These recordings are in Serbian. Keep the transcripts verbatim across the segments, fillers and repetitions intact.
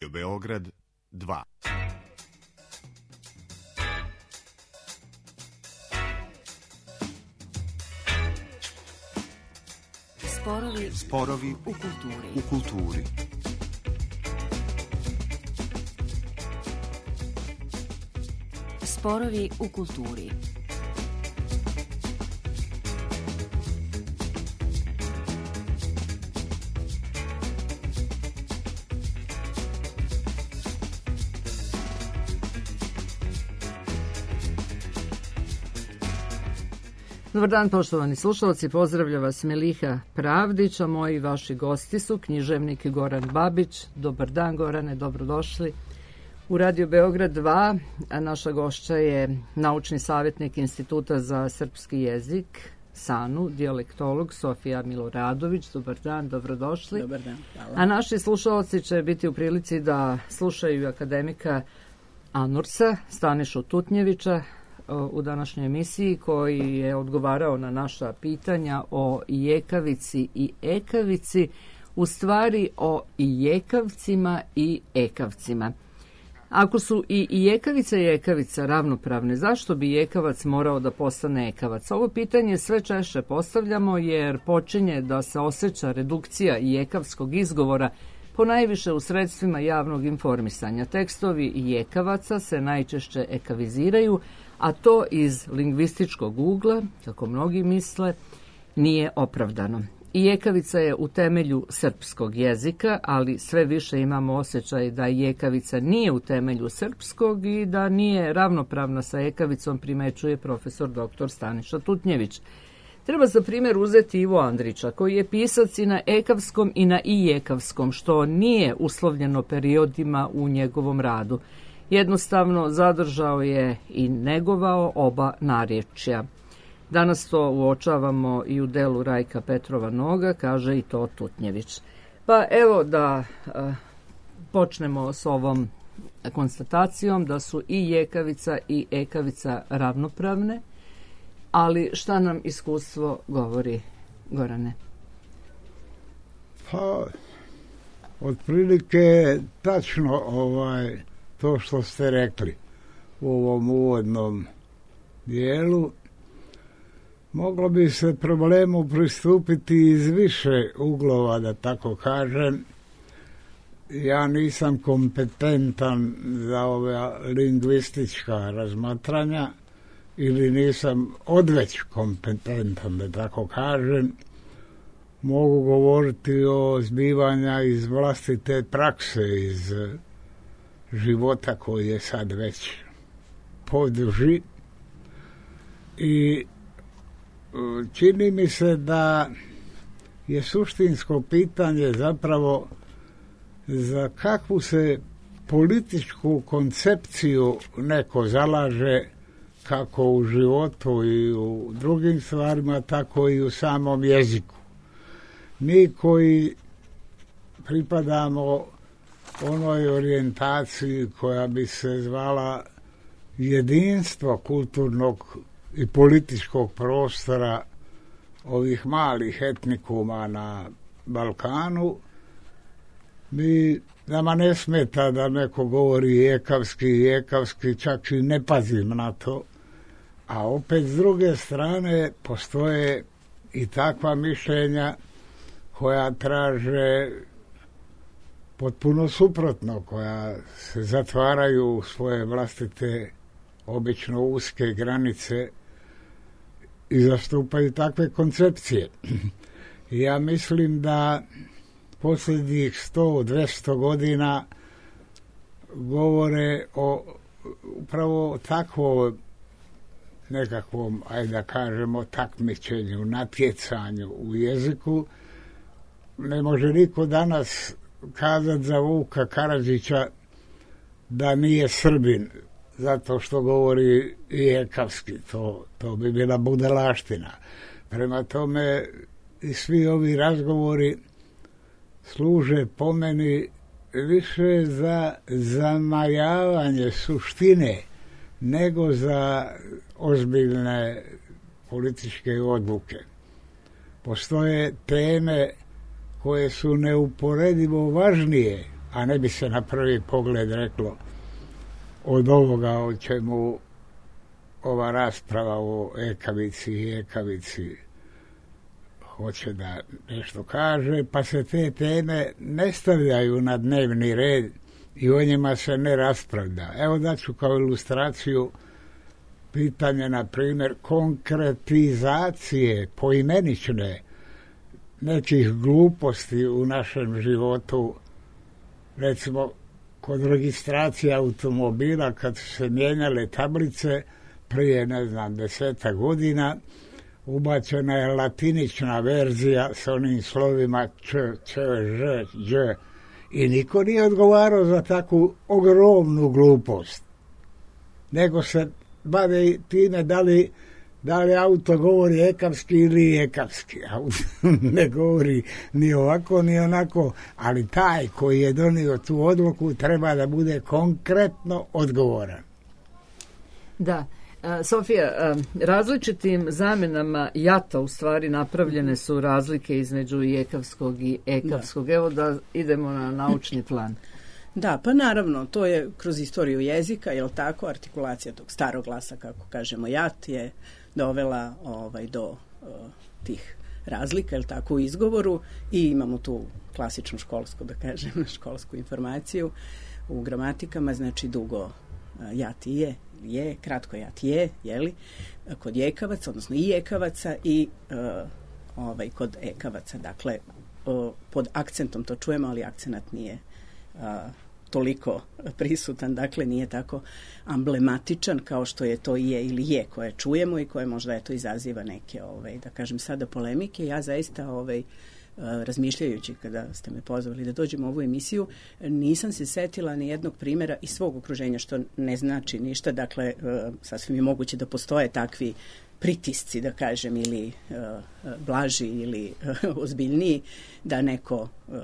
Beograd dva. Sporovi, Sporovi u kulturi. u kulturi. Sporovi u kulturi. Dobar dan, poštovani slušalci, pozdravlja vas Miliha Pravdić, a moji vaši gosti su književnik Goran Babić. Dobar dan, Gorane, dobrodošli u Radio Beograd dva, a naša gošća je naučni savjetnik Instituta za srpski jezik, SANU, dijalektolog Sofija Miloradović. Dobar dan, dobrodošli. Dobar dan, hvala. A naši slušalci će biti u prilici da slušaju akademika Anursa, Stanišu Tutnjevića, u današnjoj emisiji, koji je odgovarao na naša pitanja o jekavici i ekavici, u stvari o jekavcima i ekavcima. Ako su i jekavica i ekavica ravnopravne, zašto bi jekavac morao da postane ekavac? Ovo pitanje sve češće postavljamo jer počinje da se osjeća redukcija jekavskog izgovora ponajviše u sredstvima javnog informisanja. Tekstovi jekavaca se najčešće ekaviziraju, a to iz lingvističkog ugla, kako mnogi misle, nije opravdano. I jekavica je u temelju srpskog jezika, ali sve više imamo osjećaj da jekavica nije u temelju srpskog i da nije ravnopravna sa ekavicom, primećuje profesor doktor Staniša Tutnjević. Treba za primjer uzeti Ivo Andrića, koji je pisac i na ekavskom i na ijekavskom, što nije uslovljeno periodima u njegovom radu. Jednostavno zadržao je i negovao oba narječja. Danas to uočavamo i u delu Rajka Petrova Noga, kaže i to Tutnjević. Pa evo da a, počnemo s ovom konstatacijom da su i jekavica i ekavica ravnopravne, ali šta nam iskustvo govori, Gorane? Pa, otprilike tačno ovaj, to što ste rekli u ovom uvodnom dijelu. Moglo bi se problemu pristupiti iz više uglova, da tako kažem. Ja nisam kompetentan za ove lingvistička razmatranja ili nisam odveć kompetentan, da tako kažem. Mogu govoriti o zbivanja iz vlastite prakse, iz života koji je sad već poduži. I čini mi se da je suštinsko pitanje zapravo za kakvu se političku koncepciju neko zalaže, kako u životu i u drugim stvarima, tako i u samom jeziku. Mi koji pripadamo onoj orijentaciji koja bi se zvala jedinstvo kulturnog i političkog prostora ovih malih etnikuma na Balkanu, mi, nama ne smeta da neko govori ekavski i ekavski, čak i ne pazim na to. A opet s druge strane postoje i takva mišljenja koja traže potpuno suprotno, koja se zatvaraju u svoje vlastite obično uske granice i zastupaju takve koncepcije. Ja mislim da posljednjih sto do dvjesto godina govore o upravo takvom nekakvom, ajde da kažemo, takmičenju, natjecanju u jeziku. Ne može niko danas kazati za Vuka Karadžića da nije Srbin zato što govori i ekavski. To, to bi bila budalaština. Prema tome i svi ovi razgovori služe po meni više za zamajavanje suštine nego za ozbiljne političke odluke. Postoje teme koje su neuporedivo važnije a ne bi se na prvi pogled reklo od ovoga o čemu ova rasprava o ekavici i ekavici hoće da nešto kaže, pa se te teme ne stavljaju na dnevni red i o njima se ne raspravlja. Evo daću kao ilustraciju pitanje, na primjer, konkretizacije poimenične nekih gluposti u našem životu. Recimo, kod registracije automobila, kad su se mijenjale tablice prije, ne znam, deseta godina, ubačena je latinična verzija s onim slovima č, č, ž, dž, i niko nije odgovarao za takvu ogromnu glupost. Nego se bave time da li, da li auto govori ekavski ili ekavski. Auto ne govori ni ovako ni onako, ali taj koji je donio tu odluku treba da bude konkretno odgovoran. Da. Sofija, različitim zamjenama jata u stvari napravljene su razlike između jekavskog i ekavskog. Da. Evo da idemo na naučni plan. Da, pa naravno, to je kroz istoriju jezika, je li tako, artikulacija tog starog glasa, kako kažemo jat, je dovela ovaj, do uh, tih razlika, je li tako, u izgovoru, i imamo tu klasičnu školsku, da kažem, školsku informaciju u gramatikama, znači dugo uh, jat i je, je, kratko jat je, jeli, kod jekavaca, odnosno i jekavaca i uh, ovaj, kod ekavaca, dakle, uh, pod akcentom to čujemo, ali akcenat nije uh, toliko prisutan, dakle nije tako amblematičan kao što je to je ili je koje čujemo i koje možda eto izaziva neke, ovaj, da kažem sada polemike. Ja zaista ovaj, razmišljajući kada ste me pozvali da dođem u ovu emisiju, nisam se setila ni jednog primjera iz svog okruženja, što ne znači ništa, dakle sasvim je moguće da postoje takvi pritisci, da kažem, ili uh, blaži ili uh, ozbiljniji, da neko uh,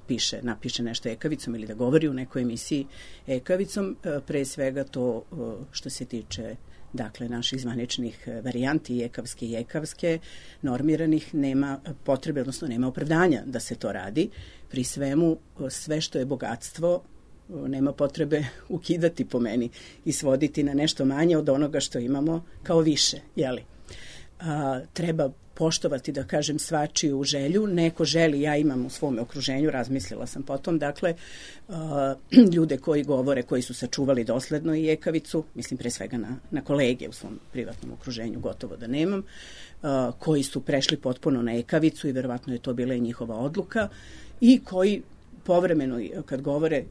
piše, napiše nešto ekavicom ili da govori u nekoj emisiji ekavicom, uh, pre svega to uh, što se tiče dakle naših zvaničnih varijanti jekavske i jekavske normiranih, nema potrebe, odnosno nema opravdanja da se to radi. Pri svemu, sve što je bogatstvo nema potrebe ukidati po meni i svoditi na nešto manje od onoga što imamo kao više, jeli? A, treba poštovati, da kažem, svačiju želju. Neko želi, ja imam u svom okruženju, razmislila sam potom, dakle, uh, ljude koji govore, koji su sačuvali dosledno i ekavicu, mislim pre svega na, na kolege u svom privatnom okruženju, gotovo da nemam, uh, koji su prešli potpuno na ekavicu i verovatno je to bila i njihova odluka, i koji povremeno, kad govore,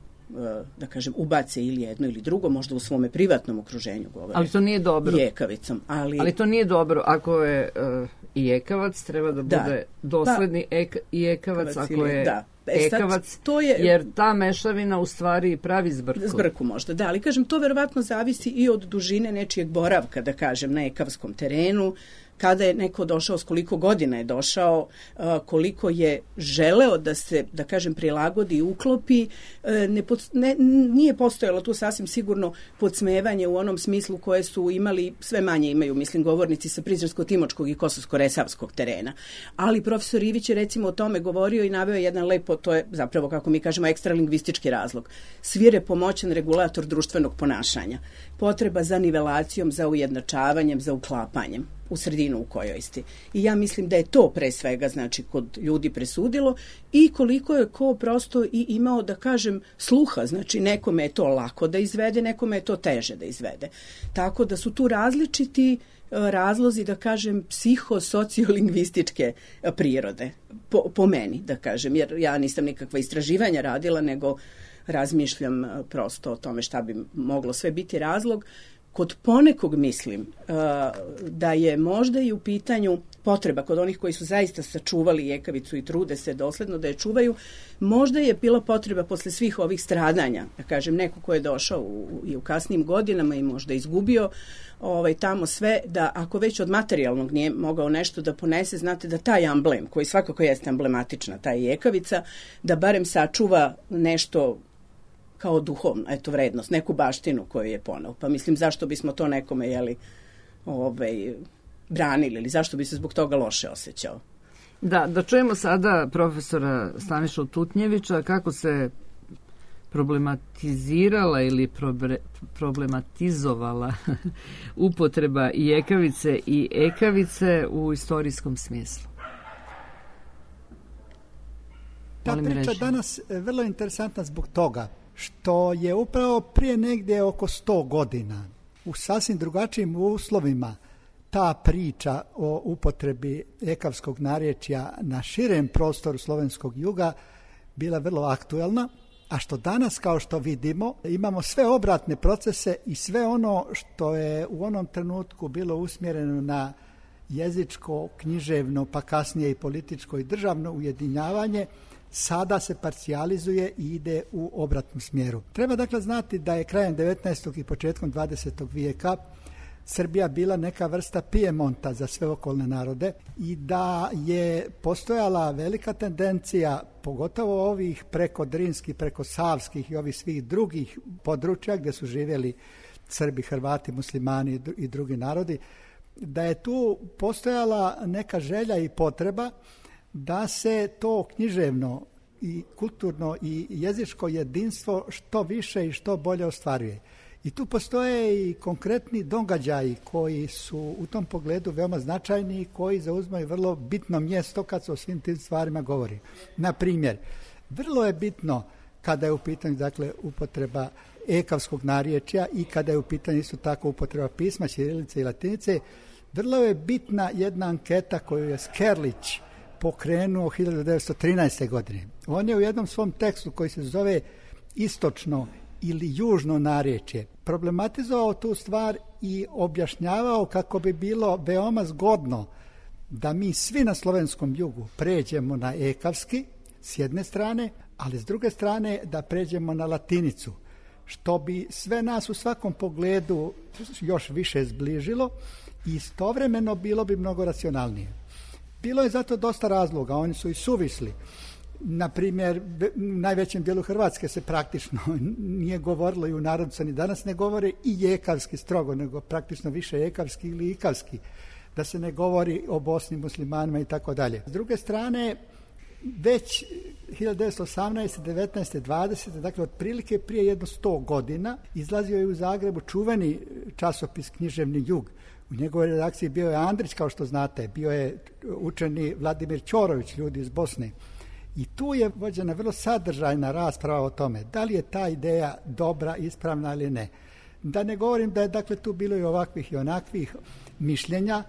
da kažem, ubace ili jedno ili drugo, možda u svome privatnom okruženju govore. Ali to nije dobro. Jekavicom. Ali, ali to nije dobro. Ako je uh, i ekavac, treba da bude da. dosledni pa, ek, i ekavac, ako ili, je da. E, ekavac, sad, to je, jer ta mešavina u stvari pravi zbrku. Zbrku možda, da, ali kažem, to verovatno zavisi i od dužine nečijeg boravka, da kažem, na ekavskom terenu, kada je neko došao, s koliko godina je došao, koliko je želeo da se, da kažem, prilagodi i uklopi, ne, pod, ne, nije postojalo tu sasvim sigurno podsmevanje u onom smislu koje su imali, sve manje imaju, mislim, govornici sa Prizrensko-Timočkog i Kosovsko-Resavskog terena. Ali profesor Ivić je recimo o tome govorio i naveo jedan lepo, to je zapravo, kako mi kažemo, ekstralingvistički razlog. Svirepo moćan regulator društvenog ponašanja. Potreba za nivelacijom, za ujednačavanjem, za uklapanjem u sredinu u kojoj ste. I ja mislim da je to pre svega, znači, kod ljudi presudilo i koliko je ko prosto i imao, da kažem, sluha, znači nekome je to lako da izvede, nekome je to teže da izvede. Tako da su tu različiti razlozi, da kažem, psiho-sociolingvističke prirode, po, po meni, da kažem, jer ja nisam nikakva istraživanja radila, nego razmišljam prosto o tome šta bi moglo sve biti razlog. Kod ponekog mislim uh, da je možda i u pitanju potreba kod onih koji su zaista sačuvali jekavicu i trude se dosledno da je čuvaju, možda je bila potreba posle svih ovih stradanja, da kažem, neko ko je došao u, i u kasnim godinama i možda izgubio ovaj, tamo sve, da ako već od materijalnog nije mogao nešto da ponese, znate da taj amblem, koji svakako jeste emblematična, ta jekavica, da barem sačuva nešto kao duhovno, eto, vrednost, neku baštinu koju je poneo. Pa mislim, zašto bismo to nekome, jeli, ovaj, branili ili zašto bi se zbog toga loše osjećao? Da, da čujemo sada profesora Stanišu Tutnjevića kako se problematizirala ili probre, problematizovala upotreba i ekavice i ekavice u istorijskom smislu? Ta Volim priča reći. danas je vrlo interesantna zbog toga što je upravo prije negdje oko sto godina u sasvim drugačijim uslovima ta priča o upotrebi ekavskog narječja na širem prostoru slovenskog juga bila vrlo aktuelna, a što danas, kao što vidimo, imamo sve obratne procese i sve ono što je u onom trenutku bilo usmjereno na jezičko, književno, pa kasnije i političko i državno ujedinjavanje, sada se parcijalizuje i ide u obratnom smjeru. Treba dakle znati da je krajem devetnaestog i početkom dvadesetog vijeka Srbija bila neka vrsta Pijemonta za sve okolne narode i da je postojala velika tendencija, pogotovo ovih preko Drinskih, preko Savskih i ovih svih drugih područja gdje su živjeli Srbi, Hrvati, Muslimani i drugi narodi, da je tu postojala neka želja i potreba da se to književno i kulturno i jezičko jedinstvo što više i što bolje ostvaruje. I tu postoje i konkretni događaji koji su u tom pogledu veoma značajni i koji zauzmaju vrlo bitno mjesto kad se o svim tim stvarima govori. Na primjer, vrlo je bitno kada je u pitanju dakle upotreba ekavskog narječja i kada je u pitanju isto tako upotreba pisma, ćirilice i latinice, vrlo je bitna jedna anketa koju je Skerlić pokrenuo hiljadu devetsto trinaeste. godine. On je u jednom svom tekstu koji se zove Istočno ili južno narječje problematizovao tu stvar i objašnjavao kako bi bilo veoma zgodno da mi svi na slovenskom jugu pređemo na ekavski s jedne strane, ali s druge strane da pređemo na latinicu, što bi sve nas u svakom pogledu još više zbližilo i istovremeno bilo bi mnogo racionalnije. Bilo je zato dosta razloga, oni su i suvisli. Na primjer, u najvećem dijelu Hrvatske se praktično nije govorilo i u narodu se ni danas ne govore i ekavski strogo, nego praktično više ekavski ili ikavski, da se ne govori o Bosni, muslimanima i tako dalje. S druge strane, već hiljadu devetsto osamnaeste, devetnaeste, dvadesete, dakle otprilike prije jedno sto godina, izlazio je u Zagrebu čuveni časopis Književni jug. U njegovoj redakciji bio je Andrić, kao što znate, bio je učeni Vladimir Ćorović, ljudi iz Bosne. I tu je vođena vrlo sadržajna rasprava o tome da li je ta ideja dobra, ispravna ili ne. Da ne govorim da je dakle tu bilo i ovakvih i onakvih mišljenja,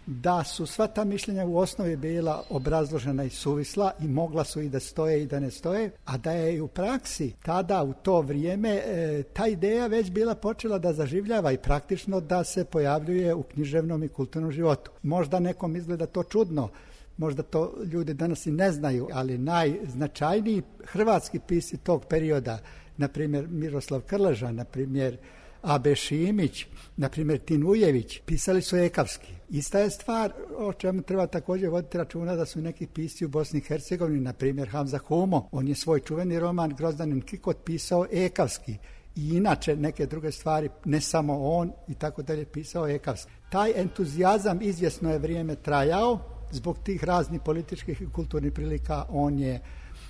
da su sva ta mišljenja u osnovi bila obrazložena i suvisla i mogla su i da stoje i da ne stoje, a da je i u praksi tada u to vrijeme e, ta ideja već bila počela da zaživljava i praktično da se pojavljuje u književnom i kulturnom životu. Možda nekom izgleda to čudno, možda to ljudi danas i ne znaju, ali najznačajniji hrvatski pisci tog perioda, na primjer Miroslav Krleža, na primjer A B Šimić, na primjer Tin Ujević, pisali su ekavski. Ista je stvar o čemu treba također voditi računa da su neki pisci u Bosni i Hercegovini, na primjer Hamza Humo, on je svoj čuveni roman Grozdanin Kikot pisao ekavski. I inače neke druge stvari, ne samo on i tako dalje, pisao ekavski. Taj entuzijazam izvjesno je vrijeme trajao, zbog tih raznih političkih i kulturnih prilika on je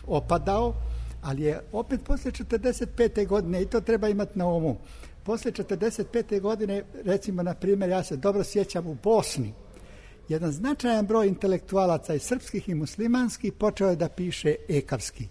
opadao, ali je opet poslije četrdeset pete. godine, i to treba imati na umu, poslije četrdeset pete. godine, recimo na primjer, ja se dobro sjećam u Bosni, jedan značajan broj intelektualaca i srpskih i muslimanskih počeo je da piše ekavski.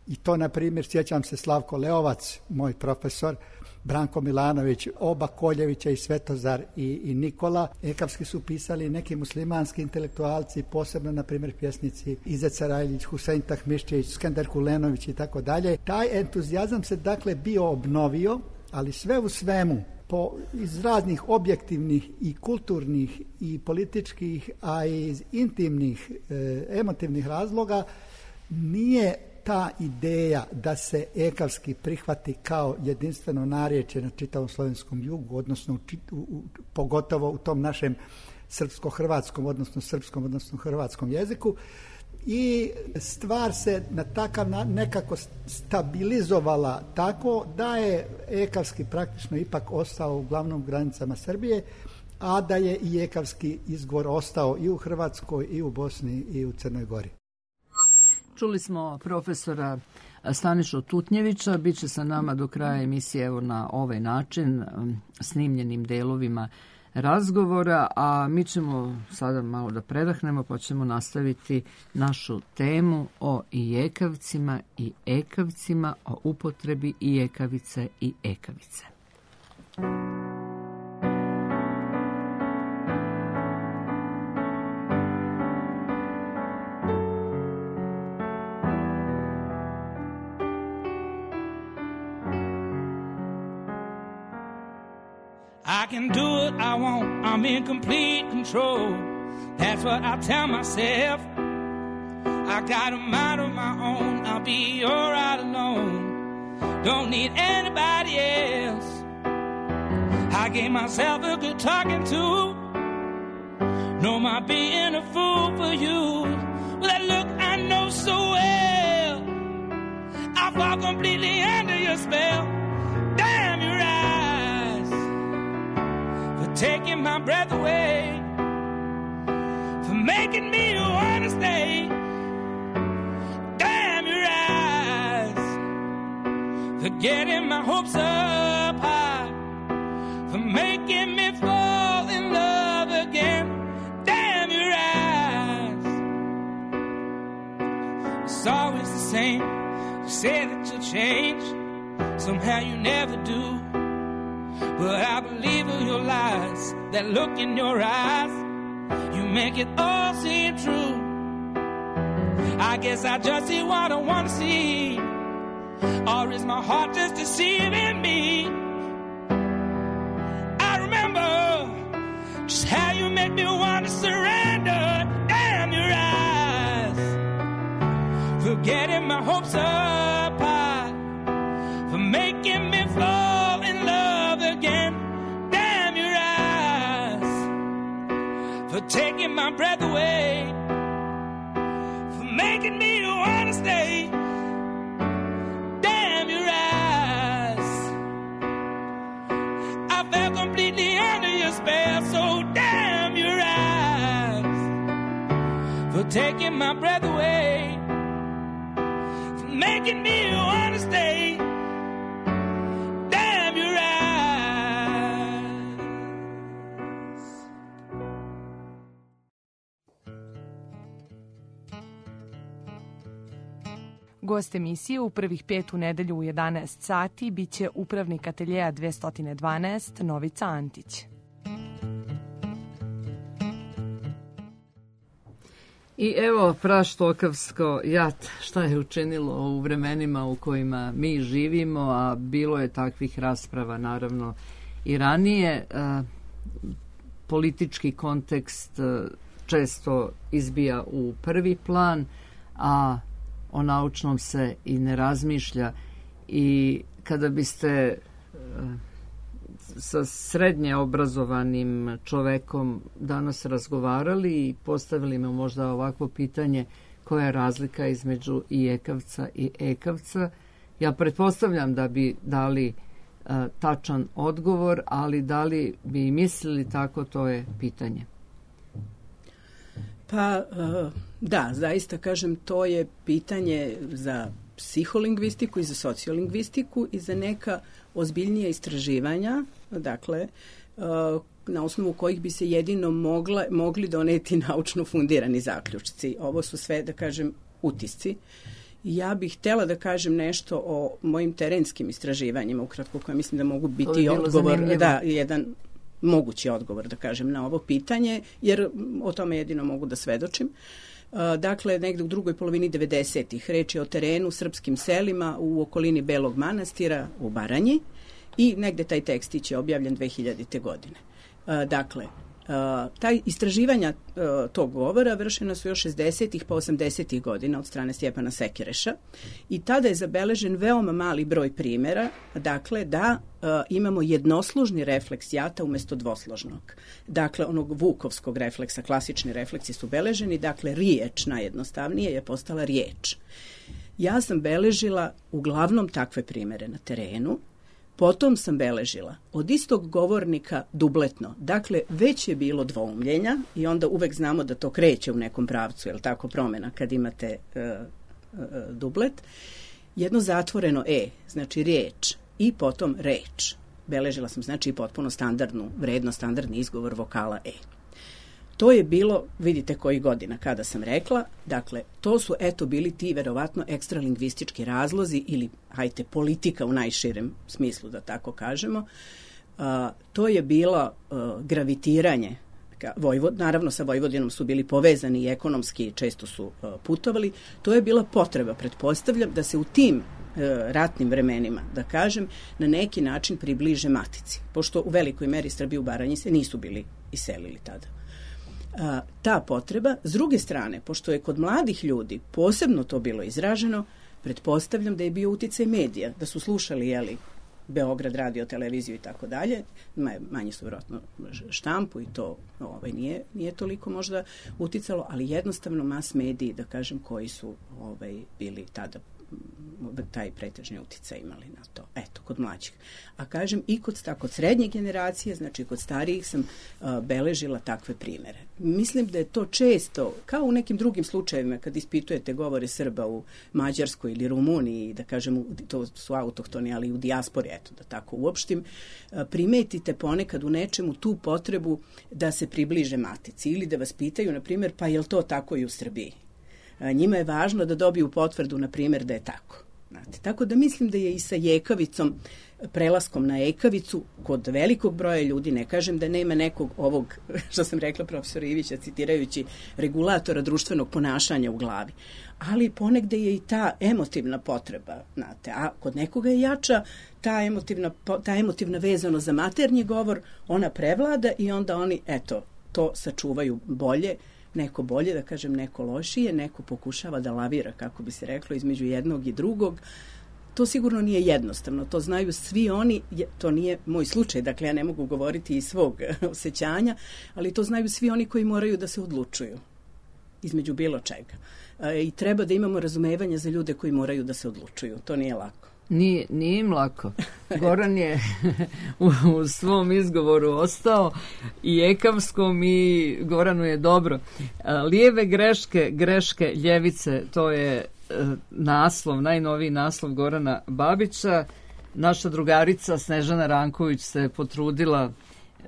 I to, na primjer, sjećam se Slavko Leovac, moj profesor, Branko Milanović, oba Koljevića i Svetozar i, i Nikola. Ekavski su pisali neki muslimanski intelektualci, posebno, na primjer, pjesnici Izet Sarajlić, Husein Tahmišćević, Skender Kulenović i tako dalje. Taj entuzijazam se, dakle, bio obnovio, ali sve u svemu, po, iz raznih objektivnih i kulturnih i političkih, a i iz intimnih, e, emotivnih razloga, nije ta ideja da se ekavski prihvati kao jedinstveno narječje na čitavom slovenskom jugu, odnosno u, u, pogotovo u tom našem srpsko-hrvatskom, odnosno srpskom, odnosno hrvatskom jeziku, i stvar se na takav nekako stabilizovala tako da je ekavski praktično ipak ostao u glavnom granicama Srbije, a da je i ekavski izgovor ostao i u Hrvatskoj, i u Bosni, i u Crnoj Gori. Čuli smo profesora Stanišu Tutnjevića, bit će sa nama do kraja emisije evo na ovaj način, snimljenim delovima razgovora, a mi ćemo sada malo da predahnemo pa ćemo nastaviti našu temu o ijekavcima i ekavcima, o upotrebi ijekavice i ekavice. I can do what I want, I'm in complete control. That's what I tell myself. I got a mind of my own, I'll be alright alone. Don't need anybody else. I gave myself a good talking to. No, my being a fool for you. Well, that look I know so well. I fall completely under your spell. Damn your eyes for taking my breath away, for making me wanna stay. Damn your eyes for getting my hopes up high, for making me fall in love again. Damn your eyes. It's always the same. You say that you'll change, somehow you never do. But I believe in your lies, that look in your eyes, you make it all seem true. I guess I just see what I want to see, or is my heart just deceiving me? I remember just how you made me want to surrender. Damn your eyes for getting my hopes up high, for making me fall in love again. Damn your eyes for taking my breath away, for making me wanna stay. Damn your eyes. I fell completely under your spell, so damn your eyes for taking my breath away, for making me wanna stay. Damn your eyes. Gost emisije u prvih pet u nedelju u jedanaest sati biće upravnik ateljeja dvesta dvanaest Novica Antić. I evo praštokavsko jat šta je učinilo u vremenima u kojima mi živimo, a bilo je takvih rasprava naravno i ranije. Politički kontekst često izbija u prvi plan, a o naučnom se i ne razmišlja. I kada biste sa srednje obrazovanim čovekom danas razgovarali i postavili me možda ovakvo pitanje, koja je razlika između ijekavca i ekavca, ja pretpostavljam da bi dali uh, tačan odgovor, ali da li bi mislili tako, to je pitanje. Pa uh, da, zaista kažem, to je pitanje za psiholingvistiku i za sociolingvistiku i za neka ozbiljnija istraživanja, dakle, uh, na osnovu kojih bi se jedino mogla, mogli doneti naučno fundirani zaključci. Ovo su sve, da kažem, utisci. Ja bih htjela da kažem nešto o mojim terenskim istraživanjima, ukratko, koje mislim da mogu biti odgovor, da, jedan mogući odgovor, da kažem, na ovo pitanje, jer o tome jedino mogu da svedočim. Dakle, negde u drugoj polovini devedesetih reč je o terenu, srpskim selima u okolini Belog Manastira u Baranji i negde taj tekstić je objavljen dve hiljadite godine. Dakle, taj istraživanja tog govora vršena su još šezdesetih pa osamdesetih godina od strane Stjepana Sekereša i tada je zabeležen veoma mali broj primjera, dakle da uh, imamo jednoslužni refleks jata umjesto dvosložnog. Dakle, onog vukovskog refleksa, klasični refleksi su beleženi, dakle riječ najjednostavnije je postala riječ. Ja sam beležila uglavnom takve primjere na terenu. Potom sam beležila od istog govornika dubletno. Dakle, već je bilo dvoumljenja i onda uvek znamo da to kreće u nekom pravcu, je li tako, promjena kad imate e, dublet, jedno zatvoreno E, znači riječ, i potom reč. Beležila sam znači potpuno standardnu, vredno standardni izgovor vokala E. To je bilo, vidite koji godina kada sam rekla, dakle, to su eto bili ti verovatno ekstralingvistički razlozi ili, hajte, politika u najširem smislu, da tako kažemo. Uh, to je bilo uh, gravitiranje. Vojvod, naravno sa Vojvodinom su bili povezani i ekonomski, često su uh, putovali. To je bila potreba, pretpostavljam, da se u tim uh, ratnim vremenima, da kažem, na neki način približe matici. Pošto u velikoj meri Srbi u Baranji se nisu bili iselili tada. A, ta potreba, s druge strane, pošto je kod mladih ljudi posebno to bilo izraženo, pretpostavljam da je bio uticaj medija, da su slušali, jeli, Beograd, radio, televiziju i tako dalje, manje su vjerojatno štampu i to ovaj, nije, nije toliko možda uticalo, ali jednostavno mas mediji, da kažem, koji su ovaj, bili tada taj pretežni uticaj imali na to. Eto, kod mlađih. A kažem, i kod, kod srednje generacije, znači kod starijih sam uh, beležila takve primere. Mislim da je to često, kao u nekim drugim slučajevima, kad ispitujete govore Srba u Mađarskoj ili Rumuniji, da kažem, to su autohtoni, ali u dijaspori, eto, da tako uopštim, uh, primetite ponekad u nečemu tu potrebu da se približe matici ili da vas pitaju, na primjer, pa je li to tako i u Srbiji? Njima je važno da dobiju potvrdu, na primjer, da je tako. Znate, tako da mislim da je i sa jekavicom, prelaskom na ekavicu, kod velikog broja ljudi, ne kažem da nema nekog ovog, što sam rekla profesora Ivića, citirajući regulatora društvenog ponašanja u glavi, ali ponegde je i ta emotivna potreba, znate, a kod nekoga je jača ta emotivna, ta emotivna vezano za maternji govor, ona prevlada i onda oni, eto, to sačuvaju bolje, neko bolje, da kažem, neko lošije, neko pokušava da lavira, kako bi se reklo, između jednog i drugog. To sigurno nije jednostavno, to znaju svi oni, to nije moj slučaj, dakle ja ne mogu govoriti iz svog osjećanja, ali to znaju svi oni koji moraju da se odlučuju između bilo čega. I treba da imamo razumevanje za ljude koji moraju da se odlučuju, to nije lako. Nije, nije im lako. Goran je u, u svom izgovoru ostao i ekavskom i Goranu je dobro. Lijeve greške, greške ljevice, to je naslov, najnoviji naslov Gorana Babića. Naša drugarica Snežana Ranković se potrudila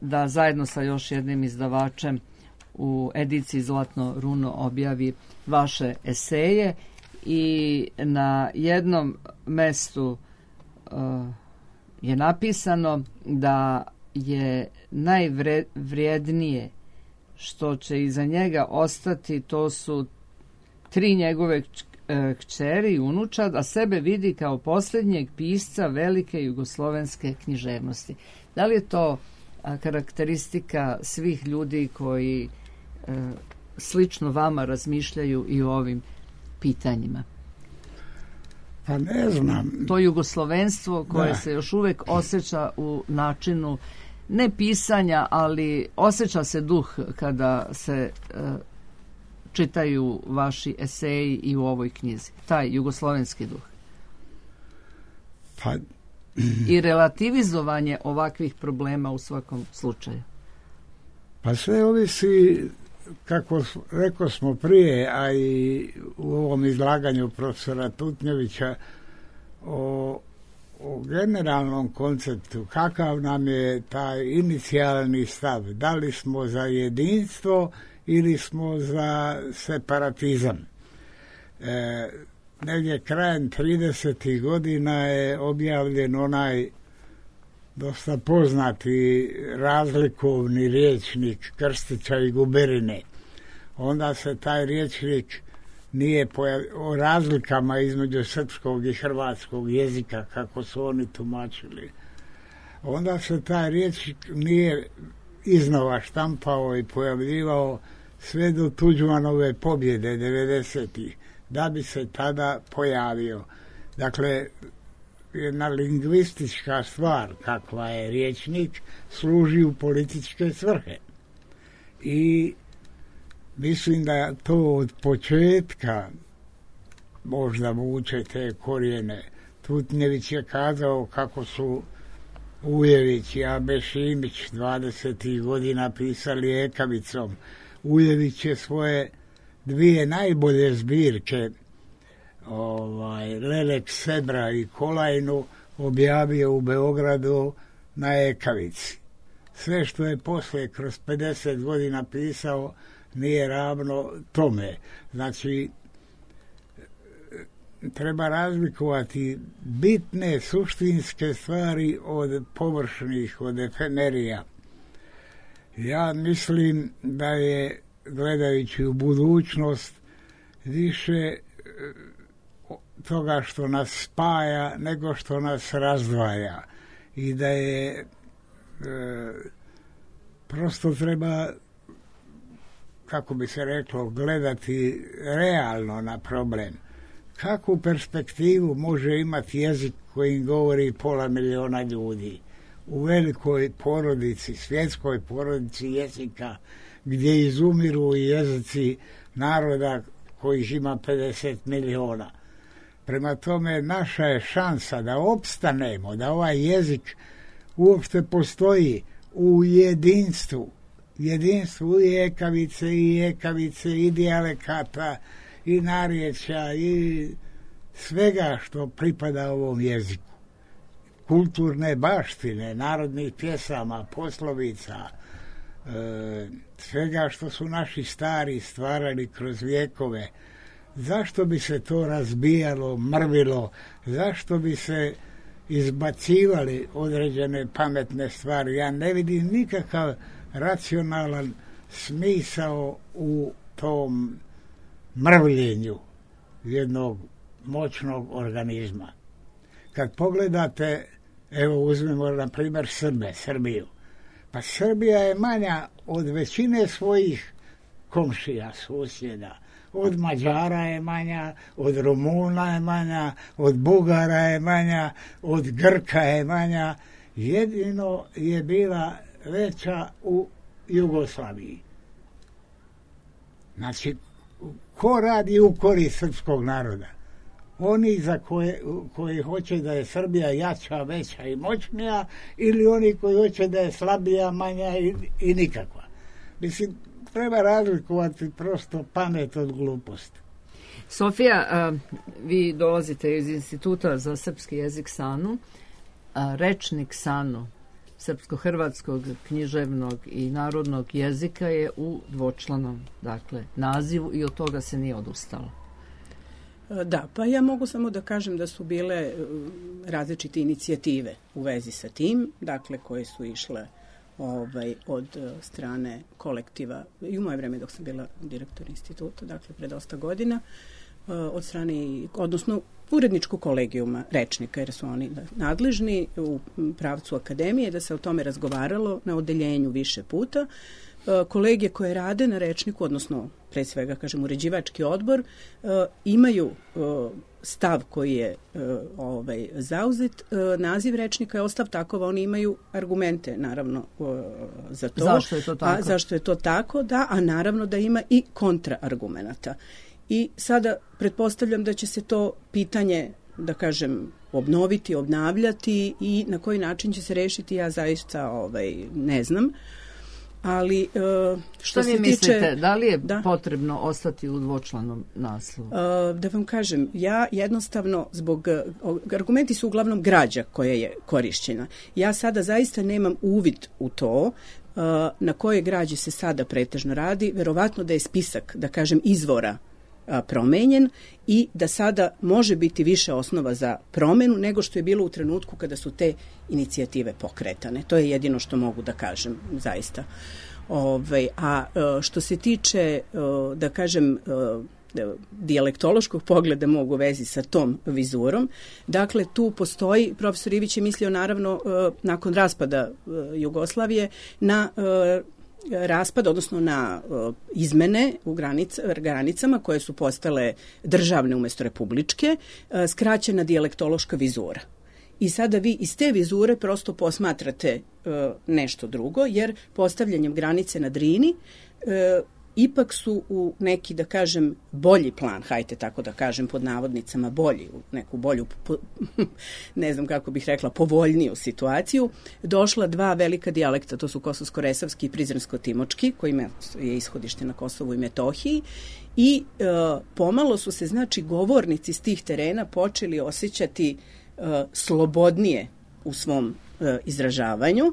da zajedno sa još jednim izdavačem u ediciji Zlatno runo objavi vaše eseje. I na jednom mestu uh, je napisano da je najvrijednije što će iza njega ostati, to su tri njegove kćeri i unučad, a sebe vidi kao posljednjeg pisca velike jugoslovenske književnosti. Da li je to a, karakteristika svih ljudi koji a, slično vama razmišljaju i o ovim pitanjima? Pa ne znam. To jugoslovenstvo koje da. se još uvijek osjeća u načinu ne pisanja, ali osjeća se duh kada se uh, čitaju vaši eseji i u ovoj knjizi. Taj jugoslovenski duh. Pa... I relativizovanje ovakvih problema u svakom slučaju. Pa sve ovisi, kako rekao smo prije, a i u ovom izlaganju profesora Tutnjevića, o, o generalnom konceptu, kakav nam je taj inicijalni stav, da li smo za jedinstvo ili smo za separatizam. E, negdje krajem tridesetih godina je objavljen onaj dosta poznati razlikovni rječnik Krstića i Guberine. Onda se taj rječnik nije pojav... o razlikama između srpskog i hrvatskog jezika, kako su oni tumačili. Onda se taj rječnik nije iznova štampao i pojavljivao sve do Tuđmanove pobjede devedesetih, da bi se tada pojavio. Dakle, jedna lingvistička stvar, kakva je rječnik, služi u političke svrhe. I mislim da to od početka možda vuče te korijene. Tutnjević je kazao kako su Ujević i Abe Šimić dvadesetih godina pisali ekavicom. Ujević je svoje dvije najbolje zbirke ovaj, Lelek Sebra i Kolajnu objavio u Beogradu na Ekavici. Sve što je posle kroz pedeset godina pisao nije ravno tome. Znači, treba razlikovati bitne suštinske stvari od površnih, od efemerija. Ja mislim da je, gledajući u budućnost, više toga što nas spaja nego što nas razdvaja. I da je e, prosto treba, kako bi se reklo, gledati realno na problem. Kakvu perspektivu može imati jezik kojim govori pola miliona ljudi u velikoj porodici, svjetskoj porodici jezika, gdje izumiru jezici naroda kojih ima pedeset miliona. Prema tome, naša je šansa da opstanemo, da ovaj jezik uopšte postoji u jedinstvu. Jedinstvu i ekavice, i ekavice, i dijalekata, i narječja, i svega što pripada ovom jeziku. Kulturne baštine, narodnih pjesama, poslovica, e, svega što su naši stari stvarali kroz vijekove. Zašto bi se to razbijalo, mrvilo? Zašto bi se izbacivali određene pametne stvari? Ja ne vidim nikakav racionalan smisao u tom mrvljenju jednog moćnog organizma. Kad pogledate, evo uzmemo na primjer Srbe, Srbiju. Pa Srbija je manja od većine svojih komšija, susjeda. Od Mađara je manja, od Rumuna je manja, od Bugara je manja, od Grka je manja. Jedino je bila veća u Jugoslaviji. Znači, ko radi u korist srpskog naroda? Oni za koje, koji hoće da je Srbija jača, veća i moćnija, ili oni koji hoće da je slabija, manja i, i nikakva. Mislim, treba razlikovati prosto pamet od gluposti. Sofija, a, vi dolazite iz Instituta za srpski jezik SANU. A, rečnik SANU, srpsko-hrvatskog, književnog i narodnog jezika, je u dvočlanom, dakle, nazivu i od toga se nije odustalo. Da, pa ja mogu samo da kažem da su bile različite inicijative u vezi sa tim, dakle, koje su išle ovaj, od strane kolektiva, i u moje vreme dok sam bila direktor instituta, dakle, pre dosta godina, od strane, odnosno uredničkog kolegijuma rečnika, jer su oni nadležni u pravcu akademije, da se o tome razgovaralo na odeljenju više puta. Kolegije koje rade na rečniku, odnosno pre svega, kažem, uređivački odbor, imaju stav koji je ovaj, zauzet. Naziv rečnika je ostav takova, oni imaju argumente, naravno, za to. Zašto je to tako? A zašto je to tako, da, a naravno da ima i kontraargumenata. I sada pretpostavljam da će se to pitanje, da kažem, obnoviti, obnavljati i na koji način će se rešiti, ja zaista ovaj, ne znam. Ali što, što se vi mislite, tiče, da li je da, potrebno ostati u dvočlanom naslovu? Da vam kažem, ja jednostavno zbog, argumenti su uglavnom građa koja je korišćena. Ja sada zaista nemam uvid u to na koje građe se sada pretežno radi. Verovatno da je spisak, da kažem, izvora promenjen i da sada može biti više osnova za promenu nego što je bilo u trenutku kada su te inicijative pokretane. To je jedino što mogu da kažem, zaista. Ove, a što se tiče, da kažem, dijalektološkog pogleda mogu vezi sa tom vizurom, dakle tu postoji, profesor Ivić je mislio naravno nakon raspada Jugoslavije na raspad, odnosno na uh, izmene u granica, granicama koje su postale državne umjesto republičke, uh, skraćena dijalektološka vizura. I sada vi iz te vizure prosto posmatrate uh, nešto drugo, jer postavljanjem granice na Drini uh, ipak su u neki, da kažem, bolji plan, hajte tako da kažem, pod navodnicama bolji, u neku bolju, po, ne znam kako bih rekla, povoljniju situaciju, došla dva velika dijalekta, to su kosovsko-resavski i prizrensko-timočki, kojima je ishodište na Kosovu i Metohiji, i e, pomalo su se, znači, govornici s tih terena počeli osjećati e, slobodnije u svom e, izražavanju,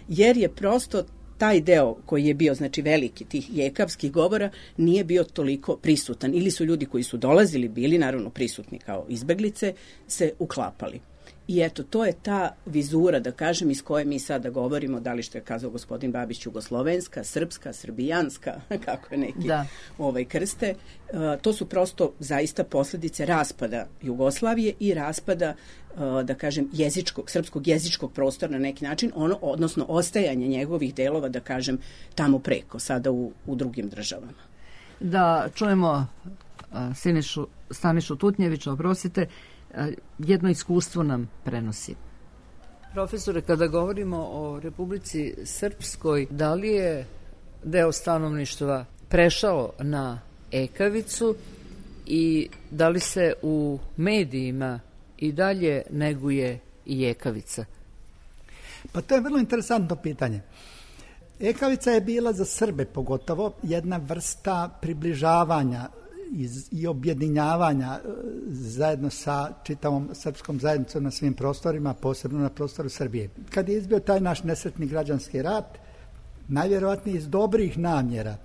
jer je prosto taj deo koji je bio, znači, veliki tih jekavskih govora nije bio toliko prisutan. Ili su ljudi koji su dolazili, bili naravno prisutni kao izbeglice, se uklapali. I eto, to je ta vizura, da kažem, iz koje mi sada govorimo, da li što je kazao gospodin Babić, jugoslovenska, srpska, srbijanska, kako je neki da. ovaj krste. Uh, to su prosto zaista posledice raspada Jugoslavije i raspada, uh, da kažem, jezičkog, srpskog jezičkog prostora na neki način, ono, odnosno ostajanje njegovih delova, da kažem, tamo preko, sada u, u drugim državama. Da čujemo uh, Sinišu, Stanišu Tutnjevića, oprostite, jedno iskustvo nam prenosi. Profesore, kada govorimo o Republici Srpskoj, da li je deo stanovništva prešao na ekavicu i da li se u medijima i dalje neguje i ekavica? Pa to je vrlo interesantno pitanje. Ekavica je bila za Srbe pogotovo jedna vrsta približavanja Iz, i objedinjavanja zajedno sa čitavom srpskom zajednicom na svim prostorima, posebno na prostoru Srbije. Kad je izbio taj naš nesretni građanski rat, najvjerovatnije iz dobrih namjera,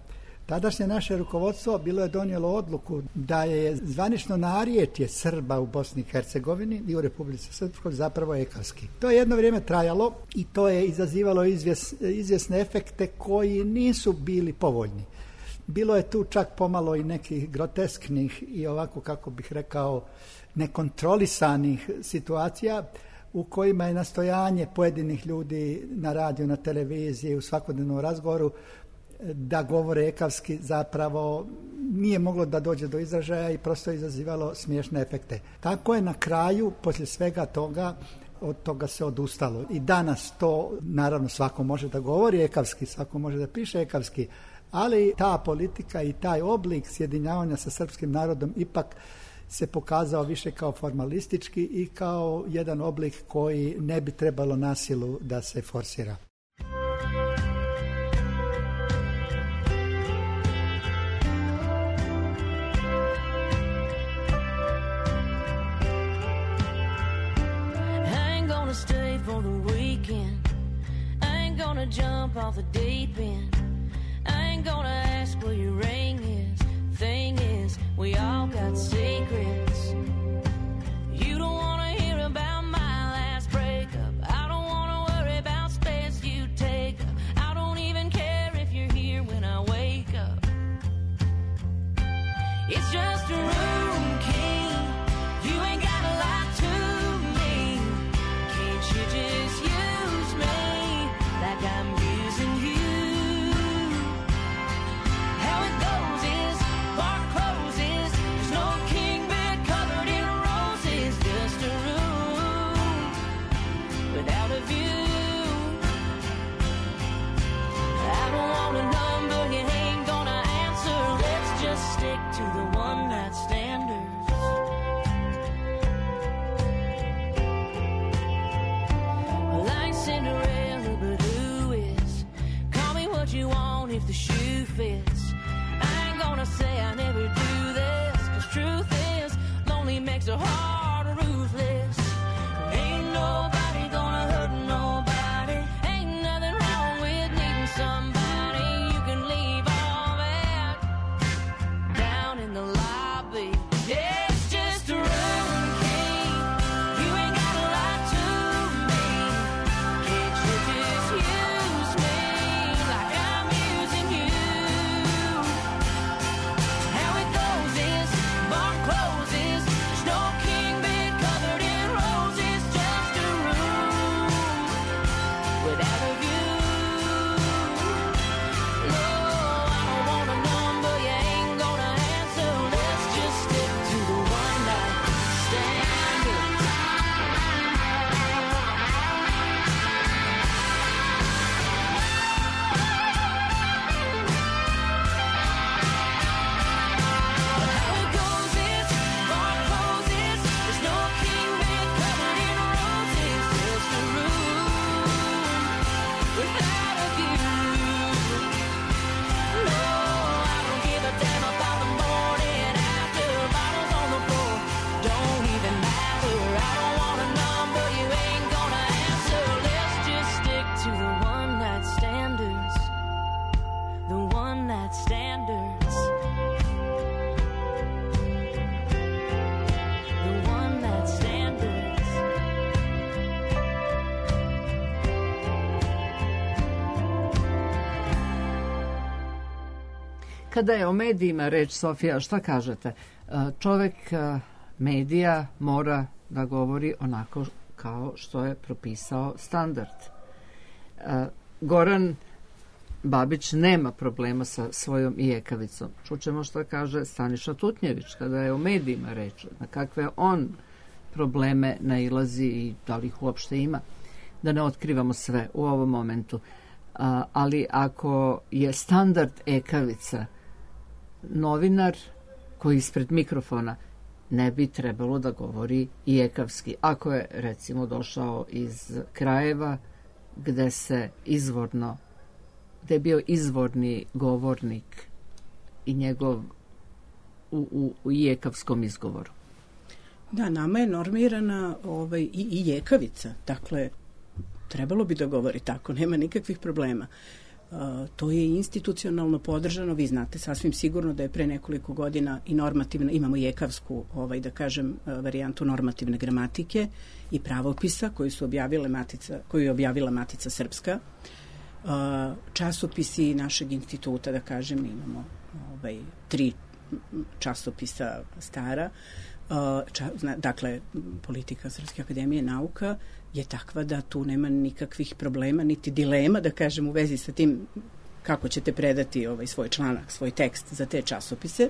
tadašnje naše rukovodstvo bilo je donijelo odluku da je zvanično narječje Srba u Bosni i Hercegovini i u Republici Srpskoj zapravo ekavski. To je jedno vrijeme trajalo i to je izazivalo izvjes, izvjesne efekte koji nisu bili povoljni. Bilo je tu čak pomalo i nekih grotesknih i ovako, kako bih rekao, nekontrolisanih situacija u kojima je nastojanje pojedinih ljudi na radiju, na televiziji, u svakodnevnom razgovoru da govore ekavski zapravo nije moglo da dođe do izražaja i prosto je izazivalo smiješne efekte. Tako je na kraju, poslije svega toga, od toga se odustalo. I danas to, naravno, svako može da govori ekavski, svako može da piše ekavski, ali ta politika i taj oblik sjedinjavanja sa srpskim narodom ipak se pokazao više kao formalistički i kao jedan oblik koji ne bi trebalo na silu da se forsira. I ain't gonna stay for the weekend. I ain't gonna jump off the deep end. I ain't gonna ask where your ring is. Thing is, we all got secrets. You don't wanna hear about my last breakup. I don't wanna worry about space you take up. I don't even care if you're here when I wake up. It's just a room key. You ain't gotta lie to me. Can't you just use me like I'm using you? To the one night standards. Well, I ain't Cinderella, but who is? Call me what you want if the shoe fits. I ain't gonna say I never do this, 'cause truth is, lonely makes a heart ruthless. Ain't nobody gonna hurt nobody. Ain't nothing wrong with needing somebody. You can leave all that down in the lobby. Yeah, it's just a room key. You ain't gotta lie to me. Can't you just use me like I'm using you? How it goes is, bar closes. There's no king bed covered in roses. Kada je o medijima reč, Sofija, šta kažete? E, čovek e, medija mora da govori onako kao što je propisao standard. E, Goran Babić nema problema sa svojom ijekavicom. Čućemo šta kaže Staniša Tutnjević kada je o medijima reč, na kakve on probleme nailazi i da li ih uopšte ima. Da ne otkrivamo sve u ovom momentu. A, ali ako je standard ekavica, novinar koji ispred mikrofona ne bi trebalo da govori i ekavski. Ako je, recimo, došao iz krajeva gde se izvorno, gde je bio izvorni govornik i njegov u, u, u ijekavskom izgovoru. Da, nama je normirana ovaj, i, i jekavica. Dakle, trebalo bi da govori tako, nema nikakvih problema. Uh, to je institucionalno podržano, vi znate sasvim sigurno da je pre nekoliko godina i normativna, imamo jekavsku, ovaj, da kažem, uh, varijantu normativne gramatike i pravopisa koju su objavile Matica, koju je objavila Matica Srpska. Uh, časopisi našeg instituta, da kažem, imamo ovaj, tri časopisa stara. Uh, ča, zna, dakle, politika Srpske akademije nauka je takva da tu nema nikakvih problema, niti dilema, da kažem, u vezi sa tim kako ćete predati ovaj svoj članak, svoj tekst za te časopise.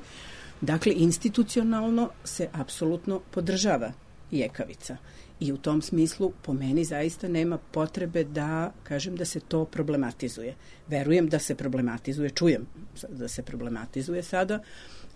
Dakle, institucionalno se apsolutno podržava jekavica. I u tom smislu, po meni, zaista nema potrebe da, kažem, da se to problematizuje. Verujem da se problematizuje, čujem da se problematizuje sada,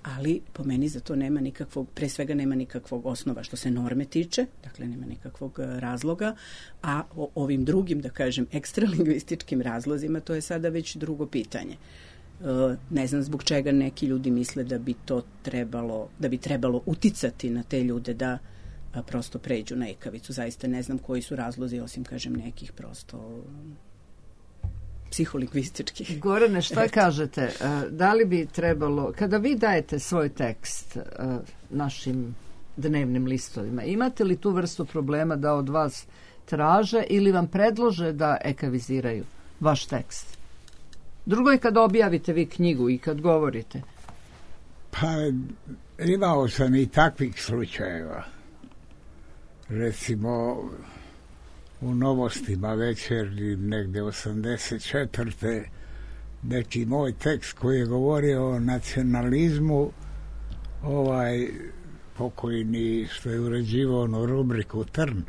ali po meni za to nema nikakvog, pre svega nema nikakvog osnova što se norme tiče, dakle nema nikakvog razloga, a o ovim drugim, da kažem, ekstralingvističkim razlozima, to je sada već drugo pitanje. E, ne znam zbog čega neki ljudi misle da bi to trebalo, da bi trebalo uticati na te ljude da a, prosto pređu na ekavicu. Zaista ne znam koji su razlozi, osim, kažem, nekih prosto psiholingvistički. Gorane, šta kažete? Da li bi trebalo, kada vi dajete svoj tekst našim dnevnim listovima, imate li tu vrstu problema da od vas traže ili vam predlože da ekaviziraju vaš tekst? Drugo je kad objavite vi knjigu i kad govorite. Pa imao sam i takvih slučajeva. Recimo u Novostima večernjim negde osamdeset četvrte neki moj tekst koji je govorio o nacionalizmu, ovaj pokojni što je uređivao onu rubriku Trn,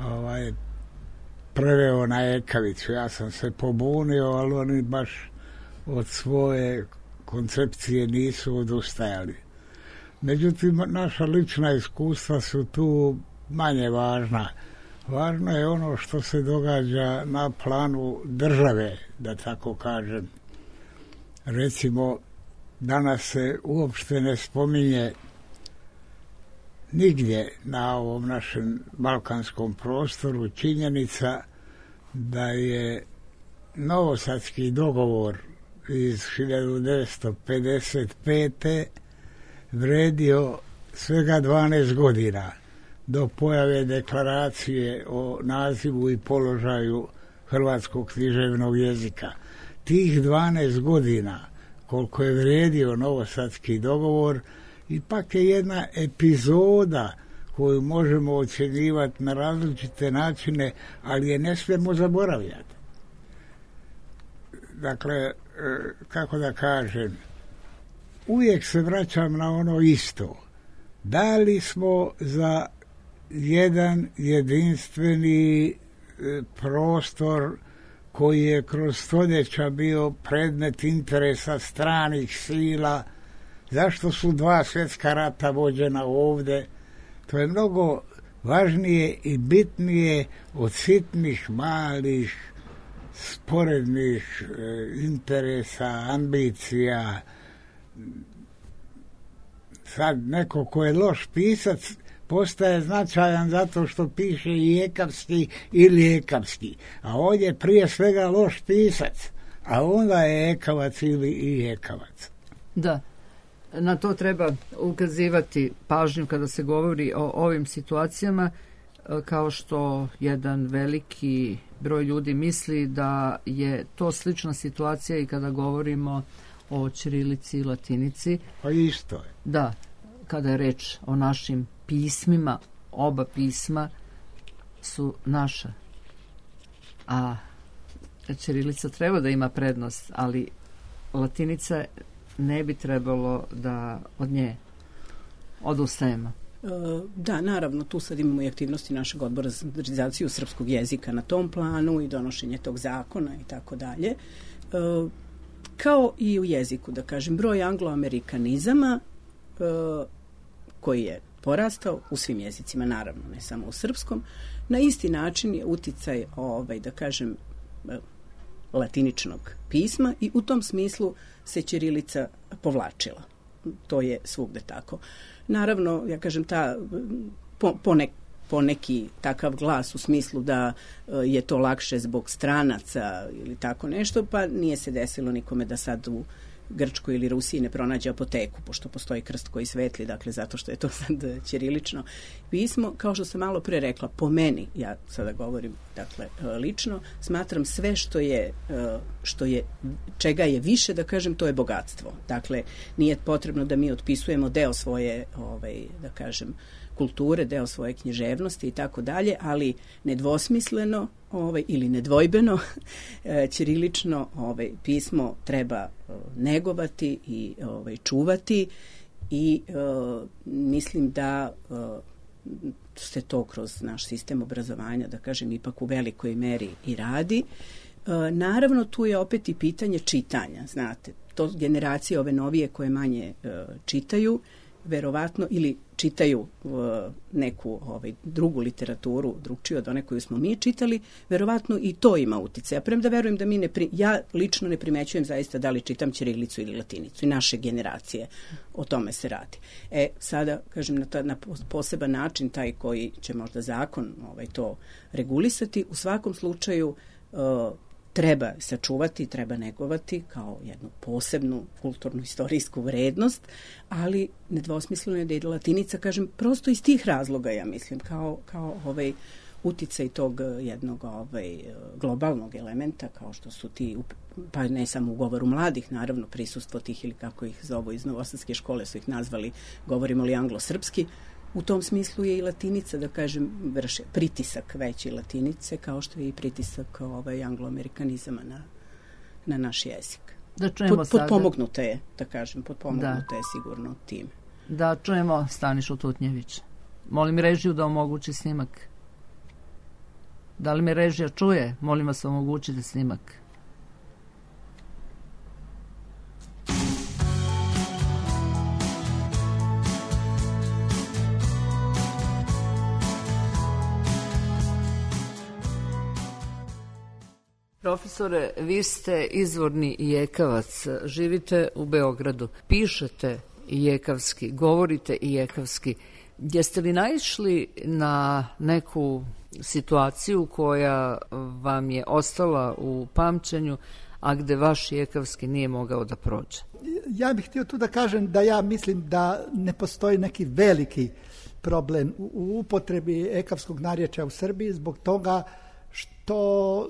ovaj preveo na ekavicu. Ja sam se pobunio, ali oni baš od svoje koncepcije nisu odustajali. Međutim, naša lična iskustva su tu manje važna. Važno je ono što se događa na planu države, da tako kažem. Recimo, danas se uopšte ne spominje nigdje na ovom našem balkanskom prostoru činjenica da je Novosadski dogovor iz hiljadu devetsto pedeset pete vredio svega dvanaest godina do pojave deklaracije o nazivu i položaju hrvatskog književnog jezika. Tih dvanaest godina koliko je vredio Novosadski dogovor ipak je jedna epizoda koju možemo ocjenjivati na različite načine, ali je ne smijemo zaboravljati. Dakle, kako da kažem, uvijek se vraćam na ono isto. Da li smo za jedan jedinstveni prostor koji je kroz stoljeća bio predmet interesa stranih sila? Zašto su dva svjetska rata vođena ovde? To je mnogo važnije i bitnije od sitnih, malih, sporednih e, interesa, ambicija. Sad neko ko je loš pisac postaje značajan zato što piše i ekavski ili ekavski. A ovdje je prije svega loš pisac, a onda je ekavac ili i ekavac. Da. Na to treba ukazivati pažnju kada se govori o ovim situacijama, kao što jedan veliki broj ljudi misli da je to slična situacija i kada govorimo o ćirilici i latinici. Pa isto je. Da, kada je reč o našim pismima, oba pisma su naša. A ćirilica treba da ima prednost, ali latinica ne bi trebalo da od nje odustajemo. Da, naravno, tu sad imamo i aktivnosti našeg odbora za standardizaciju srpskog jezika na tom planu i donošenje tog zakona i tako dalje. Kao i u jeziku, da kažem, broj angloamerikanizama koji je porastao u svim jezicima, naravno, ne samo u srpskom, na isti način je uticaj, ovaj, da kažem, latiničnog pisma i u tom smislu se ćirilica povlačila. To je svugde tako. Naravno, ja kažem, ta po, ponek, poneki takav glas u smislu da je to lakše zbog stranaca ili tako nešto, pa nije se desilo nikome da sad u Grčkoj ili Rusiji ne pronađe apoteku, pošto postoji krst koji svetli, dakle, zato što je to sad ćirilično pismo. Kao što sam malo pre rekla, po meni, ja sada govorim, dakle, lično, smatram sve što je, što je, čega je više, da kažem, to je bogatstvo. Dakle, nije potrebno da mi otpisujemo deo svoje, ovaj, da kažem, kulture, deo svoje književnosti i tako dalje, ali nedvosmisleno ovaj, ili nedvojbeno ćirilično ovaj, pismo treba negovati i ovaj, čuvati i uh, mislim da uh, se to kroz naš sistem obrazovanja, da kažem, ipak u velikoj meri i radi. Uh, naravno, tu je opet i pitanje čitanja, znate, to generacije ove novije koje manje uh, čitaju, verovatno, ili čitaju uh, neku ovaj, drugu literaturu, drugčiju od one koju smo mi čitali, verovatno i to ima utice. Ja premda verujem da mi ne pri... ja lično ne primećujem zaista da li čitam ćirilicu ili latinicu i naše generacije, o tome se radi. E, sada, kažem, na, ta, na poseban način, taj koji će možda zakon ovaj, to regulisati, u svakom slučaju uh, treba sačuvati, treba negovati kao jednu posebnu kulturnu istorijsku vrednost, ali nedvosmisleno je da je latinica, kažem, prosto iz tih razloga, ja mislim, kao, kao ovaj uticaj tog jednog ovaj, globalnog elementa, kao što su ti, pa ne samo u govoru mladih, naravno, prisustvo tih, ili kako ih zovu iz Novosadske škole su ih nazvali, govorimo li anglo-srpski, u tom smislu je i latinica, da kažem, vrše pritisak veći latinice, kao što je i pritisak ovaj, angloamerikanizama na, na naš jezik. Da čujemo Pod, sada... Potpomognuta je, da kažem, potpomognuta da. je sigurno tim. Da čujemo Stanišu Tutnjević. Molim režiju da omogući snimak. Da li me režija čuje? Molim vas, omogućite snimak. Profesore, vi ste izvorni Ijekavac, živite u Beogradu, pišete ijekavski, govorite ijekavski. Jeste li naišli na neku situaciju koja vam je ostala u pamćenju, a gde vaš ijekavski nije mogao da prođe? Ja bih htio tu da kažem da ja mislim da ne postoji neki veliki problem u upotrebi ijekavskog narječja u Srbiji zbog toga što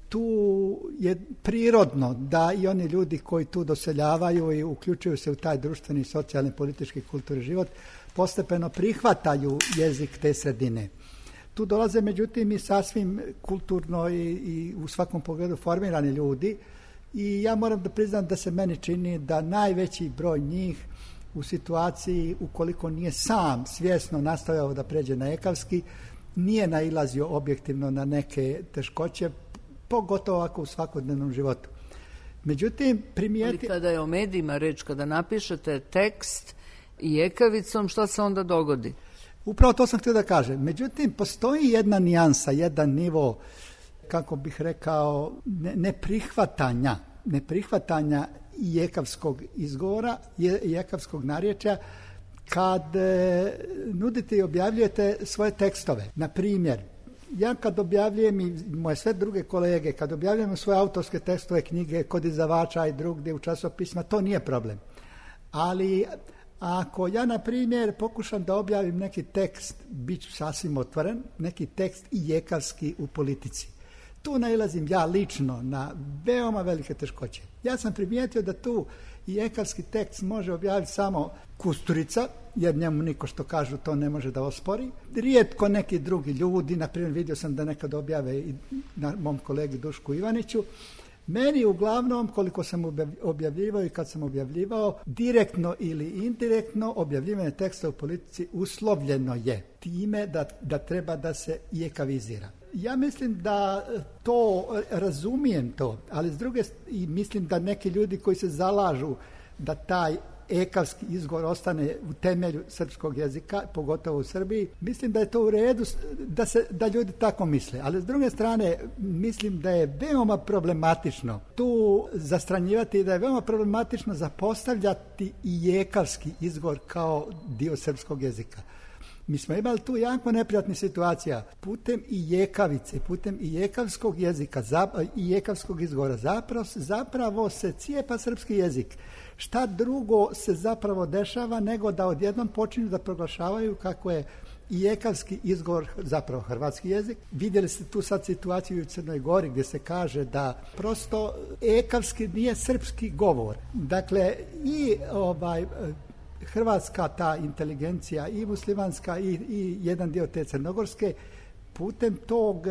tu je prirodno da i oni ljudi koji tu doseljavaju i uključuju se u taj društveni, socijalni, politički, kulturni život postepeno prihvataju jezik te sredine. Tu dolaze međutim i sasvim kulturno i, i u svakom pogledu formirani ljudi i ja moram da priznam da se meni čini da najveći broj njih u situaciji ukoliko nije sam svjesno nastavljao da pređe na ijekavski, nije nailazio objektivno na neke teškoće, pogotovo ako u svakodnevnom životu. Međutim, primijeti... Ali kada je o medijima reč, kada napišete tekst ijekavicom, šta se onda dogodi? Upravo to sam htio da kažem. Međutim, postoji jedna nijansa, jedan nivo, kako bih rekao, neprihvatanja, neprihvatanja ijekavskog izgovora, ijekavskog narječja, kad e, nudite i objavljujete svoje tekstove. Na primjer, ja kad objavljujem i moje sve druge kolege, kad objavljujemo svoje autorske tekstove, knjige kod izdavača i drugdje u časopisma, to nije problem. Ali ako ja, na primjer, pokušam da objavim neki tekst, bit ću sasvim otvoren, neki tekst ijekavski u politici, tu nailazim ja lično na veoma velike teškoće. Ja sam primijetio da tu i ekavski tekst može objaviti samo Kusturica, jer njemu niko što kažu to ne može da ospori. Rijetko neki drugi ljudi, na primjer vidio sam da nekad objave i na mom kolegi Dušku Ivaniću. Meni uglavnom, koliko sam objavljivao i kad sam objavljivao, direktno ili indirektno objavljivanje teksta u politici uslovljeno je time da, da treba da se i ekavizira. Ja mislim da to, razumijem to, ali s druge i mislim da neki ljudi koji se zalažu da taj ekavski izgovor ostane u temelju srpskog jezika, pogotovo u Srbiji, mislim da je to u redu da, se, da ljudi tako misle. Ali s druge strane, mislim da je veoma problematično tu zastranjivati i da je veoma problematično zapostavljati i ekavski izgovor kao dio srpskog jezika. Mi smo imali tu jako neprijatnih situacija putem i jekavice, putem i jekavskog jezika i jekavskog izgovora. Zapravo, zapravo se cijepa srpski jezik. Šta drugo se zapravo dešava nego da odjednom počinju da proglašavaju kako je i ekavski izgovor zapravo hrvatski jezik. Vidjeli ste tu sad situaciju u Crnoj Gori gdje se kaže da prosto ekavski nije srpski govor. Dakle, i ovaj hrvatska ta inteligencija i muslimanska i, i jedan dio te crnogorske putem tog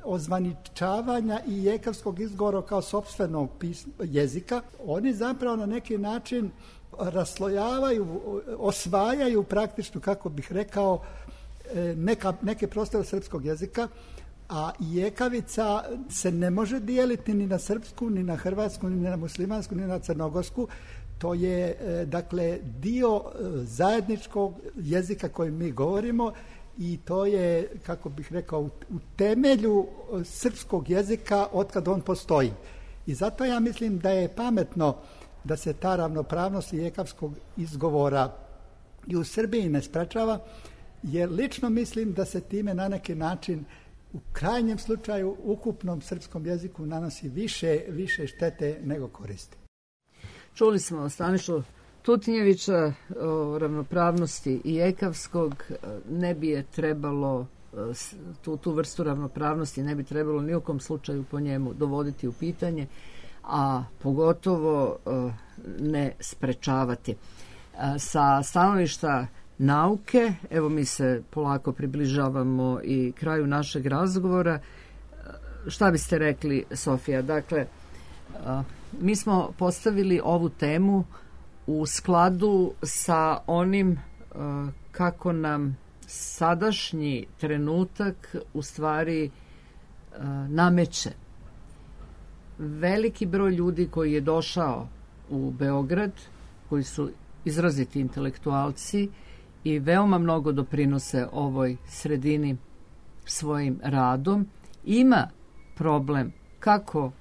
ozvaničavanja i ekavskog izgovora kao sopstvenog pisma, jezika, oni zapravo na neki način raslojavaju, osvajaju praktično, kako bih rekao, neka, neke prostore srpskog jezika, a jekavica se ne može dijeliti ni na srpsku, ni na hrvatsku, ni na muslimansku, ni na crnogorsku. To je, dakle, dio zajedničkog jezika kojim mi govorimo i to je, kako bih rekao, u temelju srpskog jezika otkad on postoji. I zato ja mislim da je pametno da se ta ravnopravnost ekavskog izgovora i u Srbiji ne sprečava, jer lično mislim da se time na neki način u krajnjem slučaju ukupnom srpskom jeziku nanosi više, više štete nego koristi. Čuli smo Stanišu Tutinjevića o ravnopravnosti i ekavskog, ne bi je trebalo, tu, tu vrstu ravnopravnosti ne bi trebalo ni u kom slučaju po njemu dovoditi u pitanje, a pogotovo ne sprečavati. Sa stanovišta nauke, evo mi se polako približavamo i kraju našeg razgovora. Šta biste rekli, Sofija? Dakle, mi smo postavili ovu temu u skladu sa onim kako nam sadašnji trenutak u stvari nameće. Veliki broj ljudi koji je došao u Beograd, koji su izraziti intelektualci i veoma mnogo doprinose ovoj sredini svojim radom, ima problem kako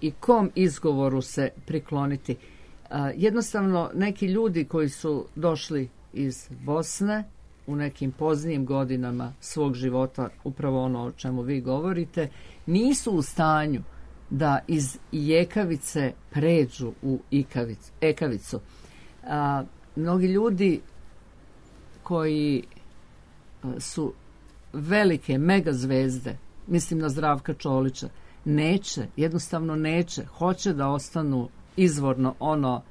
i kom izgovoru se prikloniti. Jednostavno, neki ljudi koji su došli iz Bosne u nekim poznijim godinama svog života, upravo ono o čemu vi govorite, nisu u stanju da iz jekavice pređu u ikavicu, ekavicu. A, mnogi ljudi koji su velike megazvezde, mislim na Zdravka Čolića, neće, jednostavno neće, hoće da ostanu izvorno ono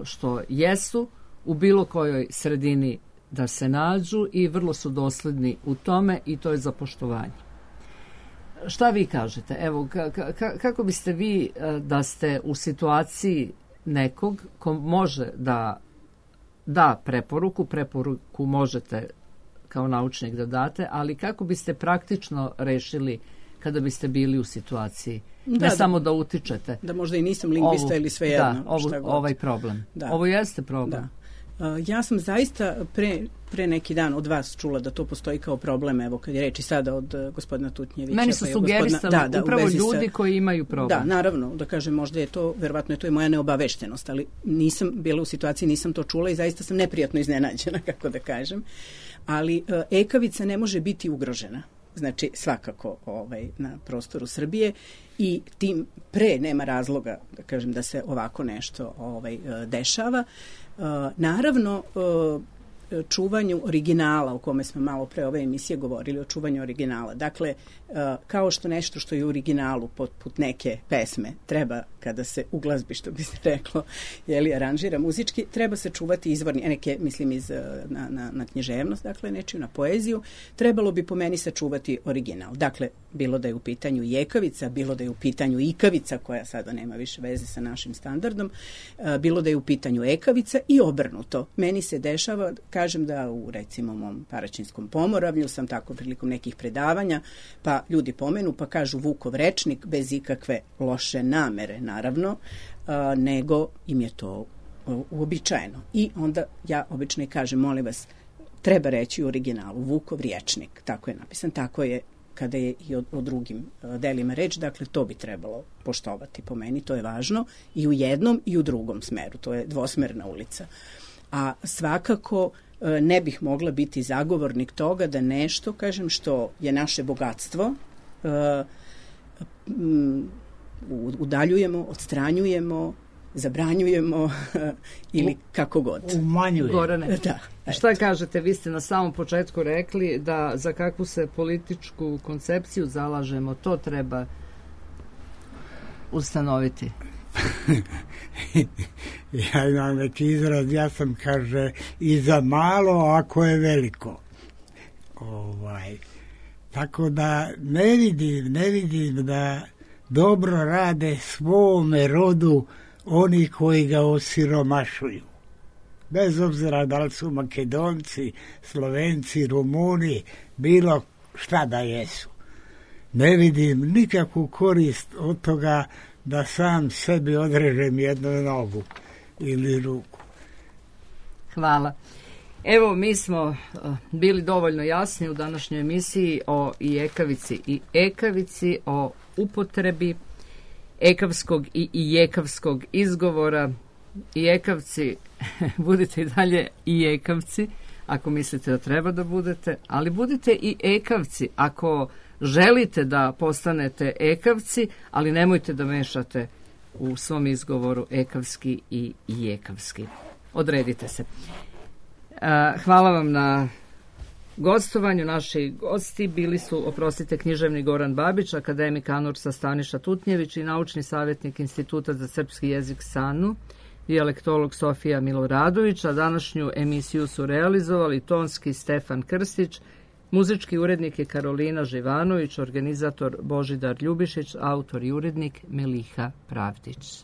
što jesu u bilo kojoj sredini da se nađu i vrlo su dosledni u tome i to je za poštovanje. Šta vi kažete? Evo, ka, ka, kako biste vi da ste u situaciji nekog ko može da da preporuku, preporuku možete kao naučnik da date, ali kako biste praktično rešili kada biste bili u situaciji? Da, ne da, samo da utičete. Da možda i nisam lingvista ovu, ili svejedno. Da, ovu, ovaj problem. Da. Ovo jeste problem. Da. Uh, ja sam zaista pre, pre neki dan od vas čula da to postoji kao problem, evo kad je reči sada od uh, gospodina Tutnjevića. Meni su pa sugerisali da, da, upravo ljudi sa, koji imaju problem. Da, naravno, da kažem, možda je to, verovatno je to i moja neobaveštenost, ali nisam bila u situaciji, nisam to čula i zaista sam neprijatno iznenađena, kako da kažem. Ali uh, ekavica ne može biti ugrožena. Znači svakako ovaj, na prostoru Srbije i tim pre nema razloga da kažem da se ovako nešto ovaj, dešava. Naravno, čuvanju originala, o kome smo malo pre ove emisije govorili, o čuvanju originala. Dakle, kao što nešto što je u originalu poput neke pesme treba kada se u glazbi, što bi se reklo, jeli, aranžira muzički, treba se čuvati izvorni, neke, mislim, iz, na, na, na književnost, dakle, nečiju na poeziju, trebalo bi po meni sačuvati original. Dakle, bilo da je u pitanju jekavica, bilo da je u pitanju ikavica, koja sada nema više veze sa našim standardom, bilo da je u pitanju ekavica i obrnuto. Meni se dešava, kažem da u, recimo, mom Paraćinskom Pomoravlju sam tako prilikom nekih predavanja, pa ljudi pomenu, pa kažu Vukov rečnik bez ikakve loše namere, naravno, a, nego im je to uobičajeno. I onda ja obično i kažem, molim vas, treba reći u originalu Vukov rječnik, tako je napisan, tako je kada je i o, o drugim a, delima reč, dakle to bi trebalo poštovati po meni, to je važno i u jednom i u drugom smeru, to je dvosmerna ulica. A svakako ne bih mogla biti zagovornik toga da nešto, kažem, što je naše bogatstvo, udaljujemo, odstranjujemo, zabranjujemo ili kako god. Umanjujemo. Gorane, da, šta kažete? Vi ste na samom početku rekli da za kakvu se političku koncepciju zalažemo, to treba ustanoviti. Ja imam neki izraz, ja sam, kaže, i za malo ako je veliko. Ovaj. Tako da ne vidim, ne vidim da dobro rade svome rodu oni koji ga osiromašuju. Bez obzira da li su Makedonci, Slovenci, Rumuni, bilo šta da jesu. Ne vidim nikakvu korist od toga da sam sebi odrežem jednu nogu ili ruku. Hvala. Evo, mi smo bili dovoljno jasni u današnjoj emisiji o i ekavici i ekavici, o upotrebi ekavskog i jekavskog izgovora. I ekavci, budite i dalje i ekavci, ako mislite da treba da budete, ali budite i ekavci ako želite da postanete ekavci, ali nemojte da mešate u svom izgovoru ekavski i jekavski. Odredite se. Hvala vam na gostovanju. Naši gosti bili su, oprostite, književni Goran Babić, akademik ANURS-a Staniša Tutnjević i naučni savjetnik Instituta za srpski jezik SANU, dijalektolog Sofija Miloradović, a današnju emisiju su realizovali tonski Stefan Krstić, muzički urednik je Karolina Živanović, organizator Božidar Ljubišić, autor i urednik Meliha Pravdić.